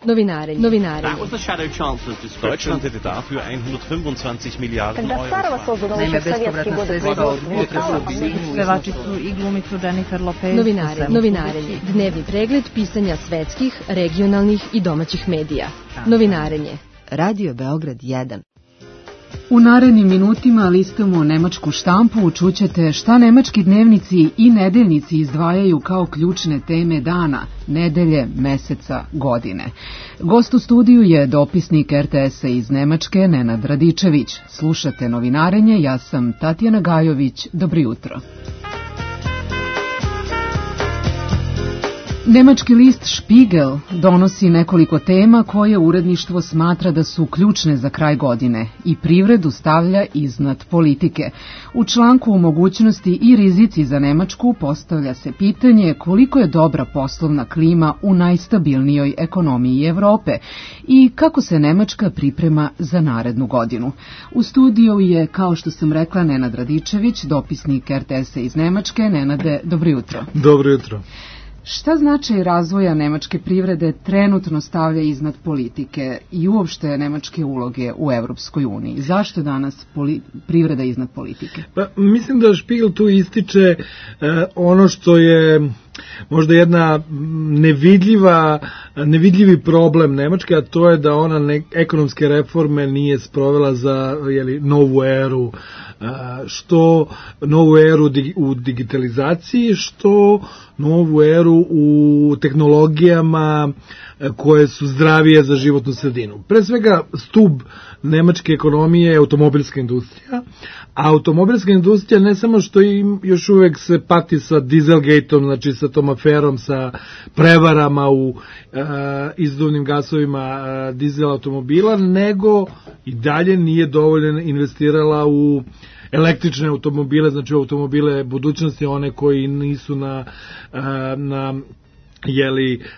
Novinarenje. Deutschland hätte dafür 125 Milijarden Euro. Na ime bespovratna sredstva od pevačicu i glumicu Jennifer Lopez. Novinarenje. Dnevni pregled pisanja svetskih, regionalnih i domaćih medija. Novinarenje. Radio Beograd 1. U narednim minutima listamo nemačku štampu, čućete šta nemački dnevnici i nedeljnici izdvajaju kao ključne teme dana, nedelje, meseca, godine. Gost u studiju je dopisnik RTS-a iz Nemačke, Nenad Radičević. Slušate Novinarenje, ja sam Tatjana Gajović, dobro jutro. Nemački list Spiegel donosi nekoliko tema koje uredništvo smatra da su ključne za kraj godine i privredu stavlja iznad politike. U članku o mogućnosti i rizici za Nemačku postavlja se pitanje koliko je dobra poslovna klima u najstabilnijoj ekonomiji Evrope i kako se Nemačka priprema za narednu godinu. U studiju je, kao što sam rekla, Nenad Radičević, dopisnik RTS-a iz Nemačke. Nenade, dobro jutro. Dobro jutro. Šta značaj razvoja nemačke privrede trenutno stavlja iznad politike i uopšte nemačke uloge u Evropskoj uniji? Zašto je danas privreda iznad politike? Pa, mislim da Spiegel tu ističe ono što je možda jedna nevidljivi problem Nemačke, a to je da ona ekonomske reforme nije sprovela za novu eru, što novu eru u digitalizaciji, što novu eru u tehnologijama koje su zdravije za životnu sredinu. Pre svega, stub nemačke ekonomije je automobilska industrija, a automobilska industrija ne samo što im još uvek se pati sa Dieselgateom, znači sa tom aferom, sa prevarama u izduvnim gasovima dizel automobila, nego i dalje nije dovoljno investirala u električne automobile, znači automobile budućnosti, one koji nisu na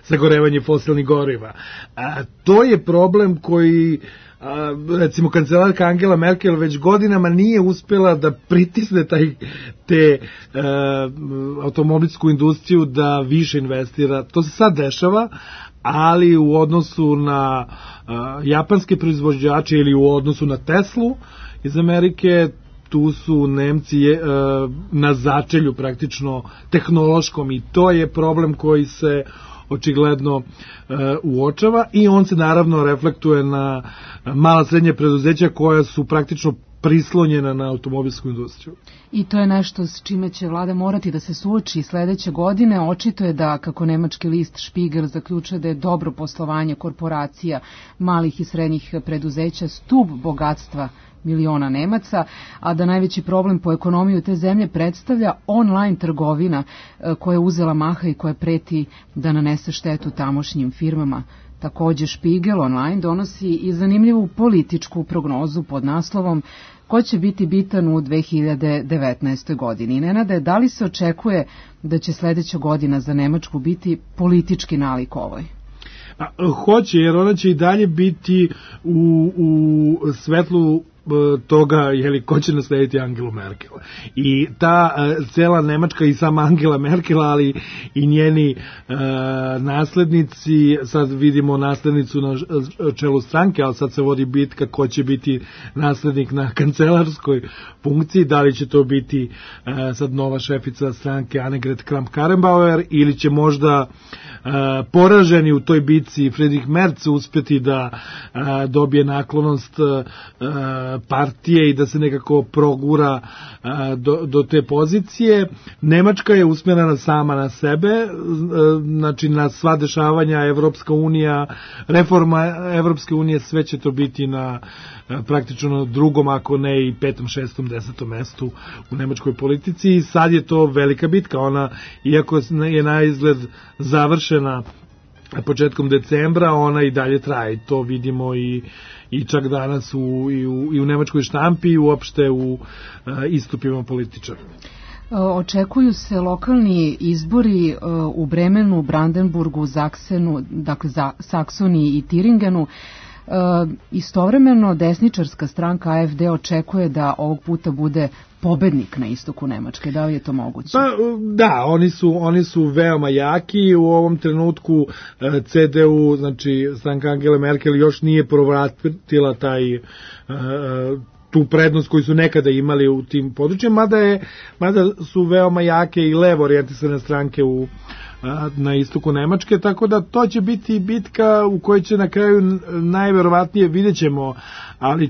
sagorevanje fosilnih goriva. To je problem koji recimo kancelarka Angela Merkel već godinama nije uspela da pritisne te automobilsku industriju da više investira. To se sad dešava, ali u odnosu na japanske proizvođače ili u odnosu na Teslu iz Amerike, tu su Nemci na začelju praktično tehnološkom i to je problem koji se očigledno uočava i on se naravno reflektuje na mala srednje preduzeća koja su praktično prislonjena na automobilsku industriju. I to je nešto s čime će vlada morati da se suoči sledeće godine. Očito je da, kako nemački list Spiegel zaključuje, da je dobro poslovanje korporacija, malih i srednjih preduzeća stub bogatstva miliona Nemaca, a da najveći problem po ekonomiju te zemlje predstavlja online trgovina koja je uzela maha i koja preti da nanese štetu tamošnjim firmama. Takođe Spiegel online donosi i zanimljivu političku prognozu pod naslovom ko će biti bitan u 2019. godini. Nenade, da li se očekuje da će sledeća godina za Nemačku biti politički nalik ovoj? Hoće, jer ona će i dalje biti u svetlu toga ko će naslediti Angelu Merkel. I ta cela Nemačka i sama Angela Merkel, ali i njeni naslednici, sad vidimo naslednicu na čelu stranke, ali sad se vodi bitka ko će biti naslednik na kancelarskoj funkciji, da li će to biti sad nova šefica stranke Annegret Kramp-Karrenbauer ili će možda poraženi u toj bitci Friedrich Merz uspjeti da dobije naklonost partije i da se nekako progura do te pozicije. Nemačka je usmjerena sama na sebe, znači na sva dešavanja Evropska unija, reforma Evropske unije, sve će to biti na praktično drugom, ako ne i 5., 6., 10. mestu u nemačkoj politici i sad je to velika bitka. Ona, iako je na izgled završena početkom decembra, ona i dalje traje. To vidimo i čak danas i u nemačkoj štampi i uopšte u istupima političara. Očekuju se lokalni izbori u Bremenu, Brandenburgu, Zaksenu, dakle Saksoniji i Tiringenu. Istovremeno desničarska stranka AfD očekuje da ovog puta bude pobednik na istoku Nemačke. Da li je to moguće? Pa, da, oni su veoma jaki. U ovom trenutku CDU, znači stranka Angele Merkel, još nije povratila tu prednost koju su nekada imali u tim područjima, mada su veoma jake i levo orijentisane stranke na istoku Nemačke, tako da to će biti bitka u kojoj će na kraju najverovatnije, vidjet ćemo, ali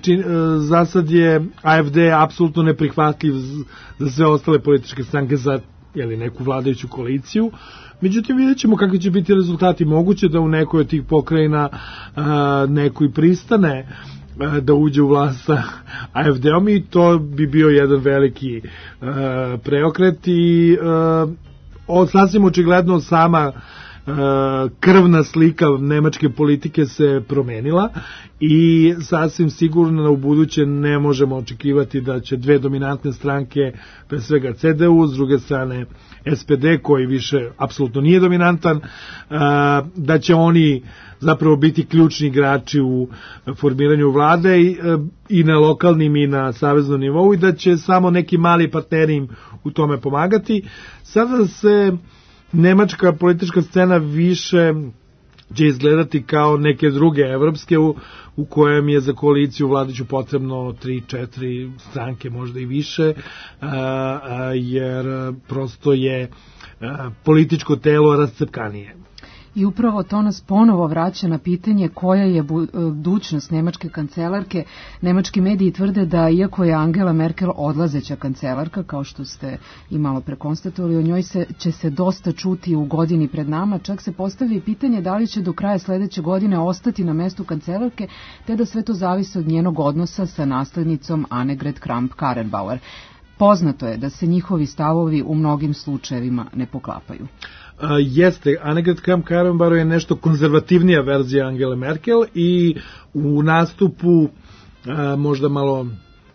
za sad je AfD apsolutno neprihvatljiv za sve ostale političke stranke za neku vladajuću koaliciju. Međutim, vidjet ćemo kakvi će biti rezultati. Moguće da u nekoj od tih pokrajina neko i pristane da uđe u vlast sa AfD-om i to bi bio jedan veliki preokret i sasvim očigledno sama krvna slika nemačke politike se promenila i sasvim sigurno u buduće ne možemo očekivati da će dve dominantne stranke, pre svega CDU, s druge strane SPD koji više apsolutno nije dominantan, da će oni zapravo biti ključni igrači u formiranju vlade i na lokalnim i na saveznom nivou i da će samo neki mali partneri im u tome pomagati. Sada se nemačka politička scena više će izgledati kao neke druge evropske u kojem je za koaliciju vladajuću potrebno 3-4 stranke, možda i više, jer prosto je političko telo rascepkanije. I upravo to nas ponovo vraća na pitanje koja je budućnost nemačke kancelarke. Nemački mediji tvrde da iako je Angela Merkel odlazeća kancelarka, kao što ste i malo prekonstatovali, o njoj će se dosta čuti u godini pred nama. Čak se postavlja i pitanje da li će do kraja sledeće godine ostati na mestu kancelarke, te da sve to zavisi od njenog odnosa sa naslednicom Annegret Kramp-Karrenbauer. Poznato je da se njihovi stavovi u mnogim slučajevima ne poklapaju. Jeste, Annegret Kramp-Karrenbauer je nešto konzervativnija verzija Angele Merkel i u nastupu možda malo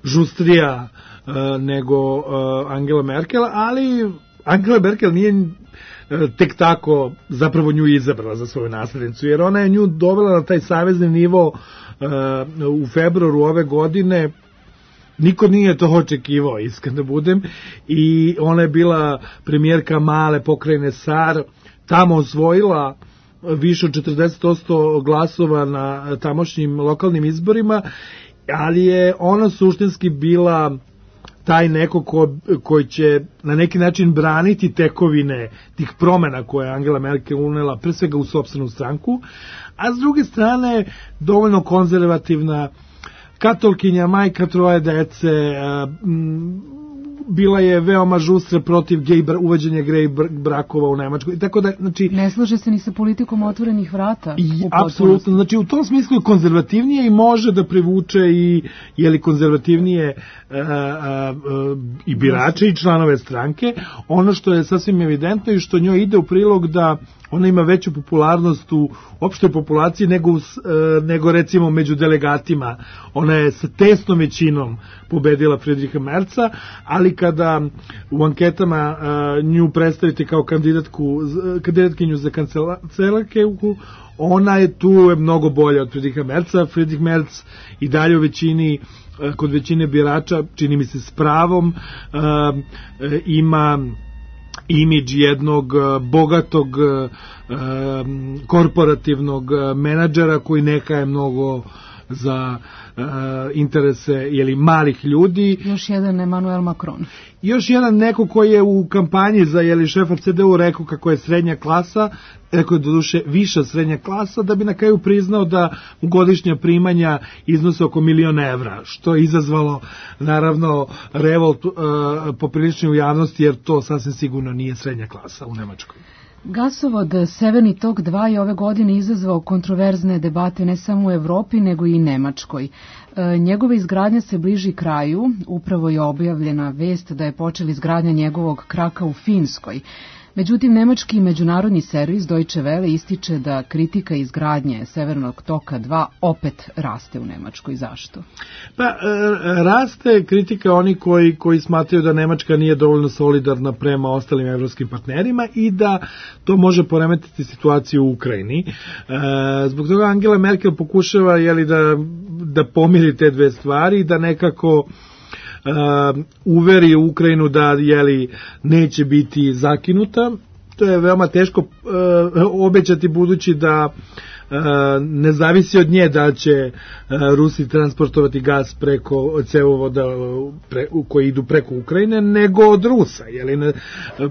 žustrija nego Angela Merkel, ali Angela Merkel nije tek tako zapravo nju izabrala za svoju naslednicu, jer ona je nju dovela na taj savezni nivo u februaru ove godine. Niko nije to očekivao, iskreno da budem, i ona je bila premijerka male pokrajine Sar, tamo osvojila više od 40% glasova na tamošnjim lokalnim izborima, ali je ona suštinski bila taj neko koji će na neki način braniti tekovine tih promena koje je Angela Merkel unela pre svega u sopstvenu stranku, a s druge strane dovoljno konzervativna, katolkinja, majka troje dece, bila je veoma žustra protiv uvođenja gej brakova u Nemačkoj. Tako da, znači, ne slaže se ni sa politikom otvorenih vrata. Apsolutno, znači u tom smislu je konzervativnije i može da privuče i konzervativnije i birače i članove stranke. Ono što je sasvim evidentno i što njoj ide u prilog da ona ima veću popularnost u opštoj populaciji nego recimo među delegatima. Ona je sa tesnom većinom pobedila Friedricha Merza, ali kada u anketama nju predstavite kao kandidatkinju za kancelarke, ona je tu mnogo bolja od Friedricha Merza. Friedrich Merz i dalje u većini, kod većine birača, čini mi se s pravom, ima imidž jednog bogatog korporativnog menadžera koji neka je mnogo za interese malih ljudi. Još jedan Emmanuel Macron. Još jedan neko koji je u kampanji za šefa CDU rekao kako je srednja klasa, rekao je doduše viša srednja klasa, da bi na kraju priznao da godišnja primanja iznose oko 1.000.000 evra, što je izazvalo naravno revolt poprilični u javnosti, jer to sasvim sigurno nije srednja klasa u Nemačkoj. Gasovod Severni tok 2 je ove godine izazvao kontroverzne debate ne samo u Evropi nego i Nemačkoj. Njegova izgradnja se bliži kraju, upravo je objavljena vest da je počela izgradnja njegovog kraka u Finskoj. Međutim, nemački međunarodni servis Deutsche Welle ističe da kritika izgradnje Severnog toka 2 opet raste u Nemačkoj. Zašto? Pa, raste kritika oni koji smatraju da Nemačka nije dovoljno solidarna prema ostalim evropskim partnerima i da to može poremetiti situaciju u Ukrajini. Zbog toga Angela Merkel pokušava da pomiri te dve stvari, da nekako uveri Ukrajinu da neće biti zakinuta. To je veoma teško obećati, budući da ne zavisi od nje da će Rusi transportovati gas preko cevovoda koji idu preko Ukrajine, nego od Rusa.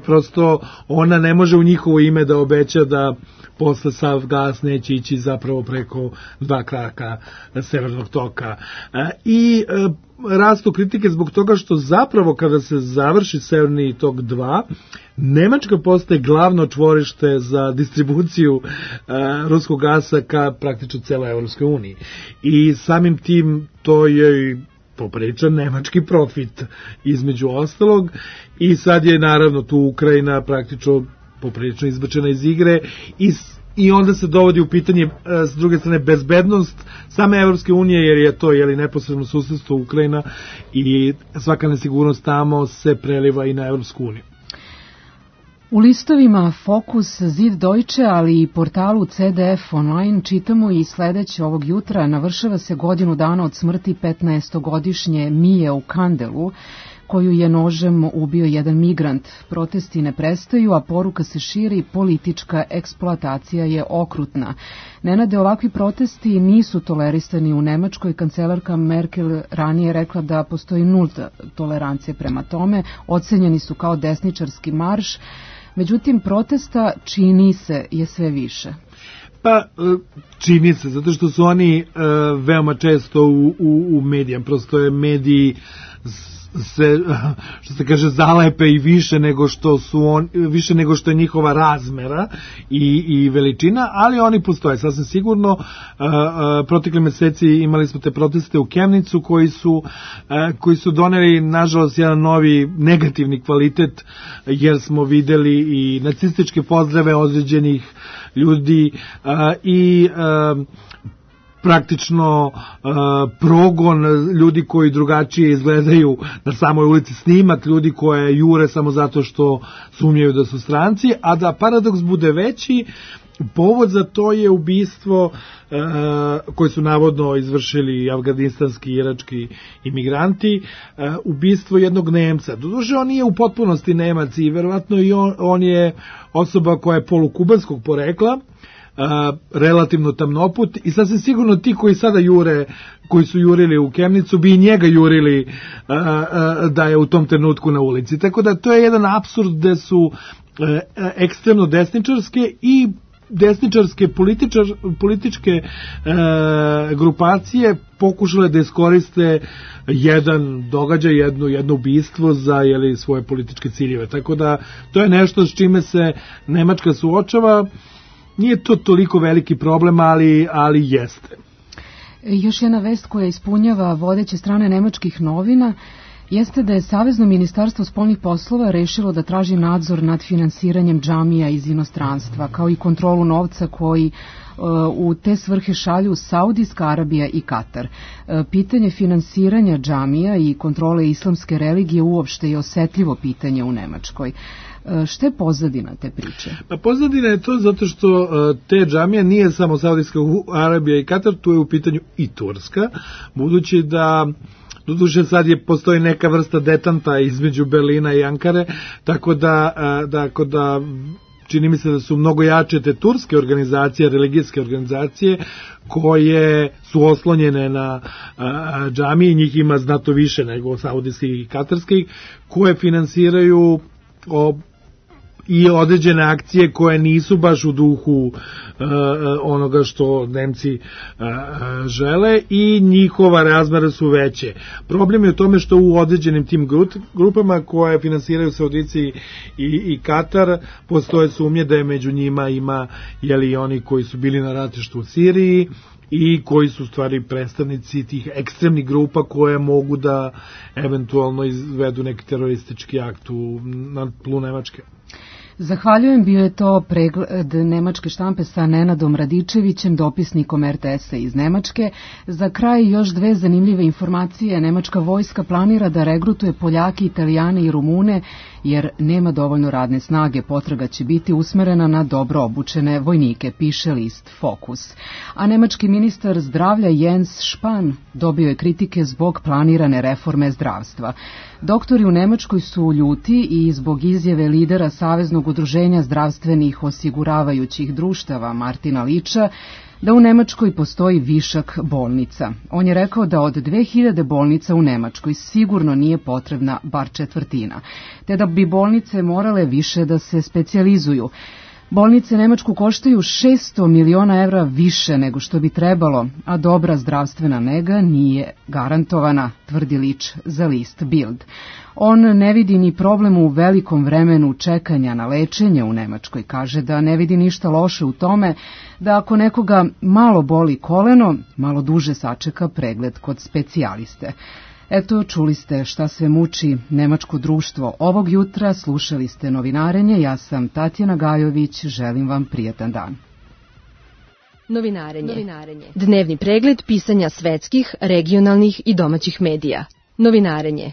Prosto ona ne može u njihovo ime da obeća da posle sav gas neće ići zapravo preko 2 kraka Severnog toka. I rastu kritike zbog toga što zapravo kada se završi Severni tok 2, Nemačka postaje glavno čvorište za distribuciju ruskog gasa ka praktično celoj Evropskoj uniji. I samim tim to je popriličan nemački profit između ostalog, i sad je naravno tu Ukrajina praktično poprilično izbačena iz igre i onda se dovodi u pitanje s druge strane bezbednost same Evropske unije, jer je to neposredno susedstvo Ukrajina i svaka nesigurnost tamo se preliva i na Evropsku uniju. U listovima Fokus, Zid Deutsche, ali i portalu CDF Online čitamo i sledeće ovog jutra: navršava se godinu dana od smrti 15-godišnje Mije u Kandelu, koju je nožem ubio jedan migrant. Protesti ne prestaju, a poruka se širi: politička eksploatacija je okrutna. Nenade, ovakvi protesti nisu tolerisani u Nemačkoj. Kancelarka Merkel ranije rekla da postoji nulta tolerancija prema tome. Ocenjeni su kao desničarski marš. Međutim, protesta, čini se, je sve više. Pa, čini se, zato što su oni veoma često u medijama. Prosto je mediji se, što se kaže, zalepe i više nego što je njihova razmera i veličina, ali oni postoje sasvim sigurno. Protekle meseci imali smo te proteste u Kemnicu koji su doneli, nažalost, jedan novi negativni kvalitet, jer smo videli i nacističke pozdrave određenih ljudi i praktično progon ljudi koji drugačije izgledaju na samoj ulici, snimak ljudi koje jure samo zato što sumnjaju da su stranci, a da paradoks bude veći, povod za to je ubistvo koje su navodno izvršili afganistanski i irački imigranti, ubistvo jednog Nemca. Doduše, on nije u potpunosti Nemac i verovatno i on je osoba koja je polukubanskog porekla, relativno tamnoput, i sasvim sigurno ti koji sada jure, koji su jurili u Kemnicu, bi i njega jurili da je u tom trenutku na ulici. Tako da to je jedan apsurd gde su ekstremno desničarske i desničarske političke grupacije pokušale da iskoriste jedan događaj, jedno ubistvo za svoje političke ciljeve. Tako da to je nešto s čime se Nemačka suočava. Nije to toliko veliki problem, ali jeste. Još jedna vest koja ispunjava vodeće strane nemačkih novina jeste da je Savezno ministarstvo spoljnih poslova rešilo da traži nadzor nad finansiranjem džamija iz inostranstva, kao i kontrolu novca koji u te svrhe šalju Saudijska Arabija i Katar. Pitanje finansiranja džamija i kontrole islamske religije uopšte je osetljivo pitanje u Nemačkoj. Šta je pozadina te priče? Pa pozadina je to zato što te džamije nije samo Saudijska Arabija i Katar, tu je u pitanju i Turska, budući da doduše sad postoji neka vrsta detanta između Berlina i Ankare, tako da čini mi se da su mnogo jače te turske organizacije, religijske organizacije, koje su oslonjene na džamije, njih ima znatno više nego saudijskih i katarskih, koje finansiraju i određene akcije koje nisu baš u duhu onoga što Nemci žele, i njihova razmere su veće. Problem je u tome što u određenim tim grupama koje finansiraju Saudici i Katar postoje sumnje da je među njima ima oni koji su bili na ratištu u Siriji i koji su u stvari predstavnici tih ekstremnih grupa koje mogu da eventualno izvedu neki teroristički akt na tlu Nemačke. Zahvaljujem, bio je to pregled nemačke štampe sa Nenadom Radičevićem, dopisnikom RTS-a iz Nemačke. Za kraj još dve zanimljive informacije. Nemačka vojska planira da regrutuje Poljake, Italijane i Rumune, jer nema dovoljno radne snage. Potraga će biti usmerena na dobro obučene vojnike, piše list Fokus. A nemački ministar zdravlja Jens Spahn dobio je kritike zbog planirane reforme zdravstva. Doktori u Nemačkoj su ljuti i zbog izjave lidera Saveznog udruženja zdravstvenih osiguravajućih društava Martina Liča da u Nemačkoj postoji višak bolnica. On je rekao da od 2000 bolnica u Nemačkoj sigurno nije potrebna bar četvrtina, te da bi bolnice morale više da se specijalizuju. Bolnice Nemačku koštaju 600 miliona evra više nego što bi trebalo, a dobra zdravstvena nega nije garantovana, tvrdi Lič za list Bild. On ne vidi ni problem u velikom vremenu čekanja na lečenje u Nemačkoj. Kaže da ne vidi ništa loše u tome da ako nekoga malo boli koleno, malo duže sačeka pregled kod specijaliste. Eto, čuli ste šta sve muči nemačko društvo ovog jutra, slušali ste Novinarenje, ja sam Tatjana Gajović, želim vam prijatan dan. Novinarenje. Dnevni pregled pisanja svetskih, regionalnih i domaćih medija. Novinarenje.